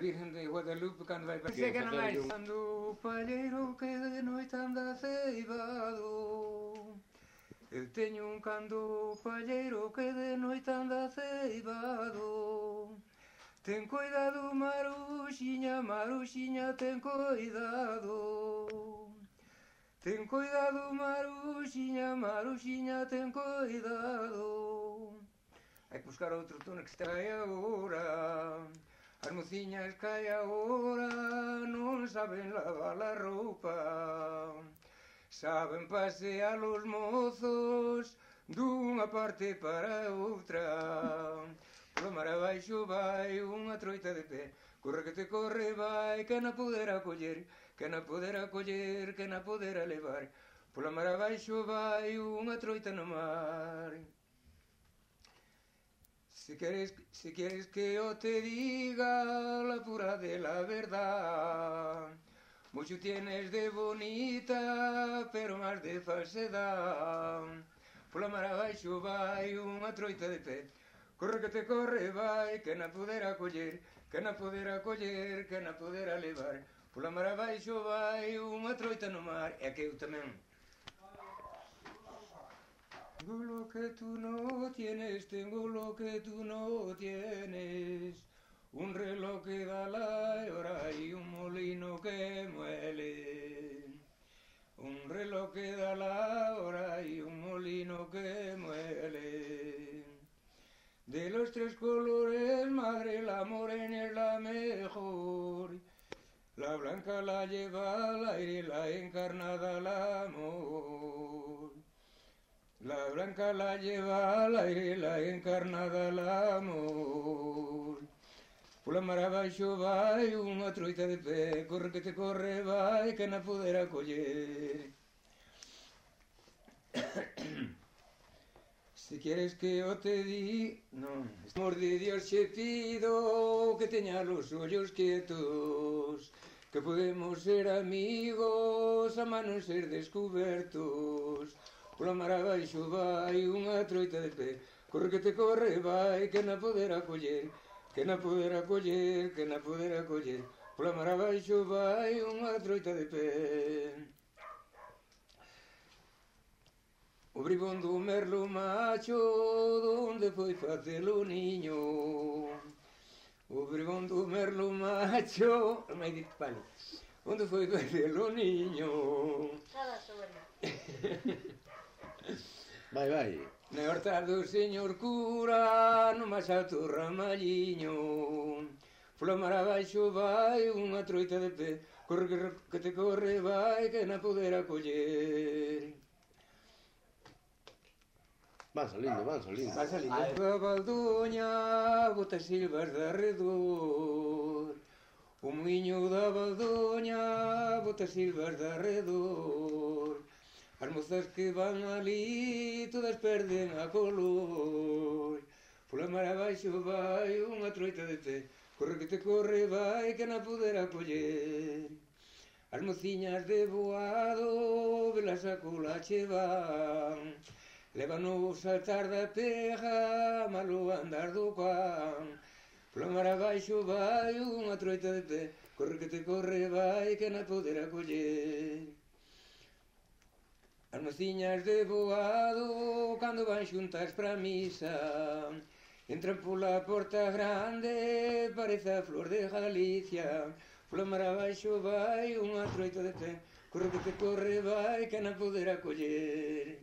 Virgen de Guadalupe cando vai para que non máis cando o palleiro que de noite anda ceibado. Eu teño un cando o palleiro que de noite anda ceibado. Ten cuidado, Maruxiña, Maruxiña, ten cuidado. Ten cuidado, Maruxiña, Maruxiña, ten cuidado. Hai que buscar outro tono que está aí agora. As mociñas que hai agora non saben lavar a roupa. Saben pasear os mozos dunha parte para outra. Polo mar abaixo vai unha troita de pé. Corre que te corre vai, que na podera coller, que na podera coller, que na podera levar. Polo mar abaixo vai unha troita no mar. Si quieres que yo te diga la pura de la verdad, mucho tienes de bonita, pero más de falsedad. Pola mar abaixo vai unha troita de pé, corre que te corre vai, que na podera coller, que na podera coller, que na podera levar. Pola mar abaixo vai unha troita no mar. E que eu tamén. Tengo lo que tú no tienes, tengo lo que tú no tienes. Un reloj que da la hora y un molino que muele. Un reloj que da la hora y un molino que muele. De los tres colores, madre, la morena es la mejor. La blanca la lleva al aire, la encarnada al amor. La blanca la lleva al aire, la encarnada al amor. Pola mar abaixo vai unha troita de pé, corre que te corre vai, que na podera coller. Si quieres que yo te di... Non. Amor de Dios che pido que teña los ollos quietos, que podemos ser amigos a non ser descubertos. Pola mar abaixo vai unha troita de pé, corre que te corre vai, que na podera coller, que na podera coller, que na podera coller. Pola mar abaixo vai unha troita de pé. O bribón do merlo macho, donde foi facelo niño? O bribón do merlo macho, mai dit palo, onde foi facelo niño? Nada sobre. Vai, vai. Na horta do señor cura, no máis alto ramalliño. Pola mar abaixo vai unha troita de pé, corre que te corre vai, que na podera coller. Van salindo, van salindo. Va salindo. A baldoña bota silvas de arredor. O muiño da baldoña bota silvas de arredor. As mozas que van ali todas perden a color. Pola mar abaixo vai unha troita de pé, corre que te corre vai, que na podera coller. As mociñas de boado velas a cola che van, levan o saltar da teja, malo andar do can. Pola mar abaixo vai unha troita de pé, corre que te corre vai, que na podera coller. As mociñas de boado, cando van xuntas pra misa, entran pola porta grande, parece a flor de Galicia. Pola mar abaixo vai unha troita de pé, corre que te corre vai, que na podera coller.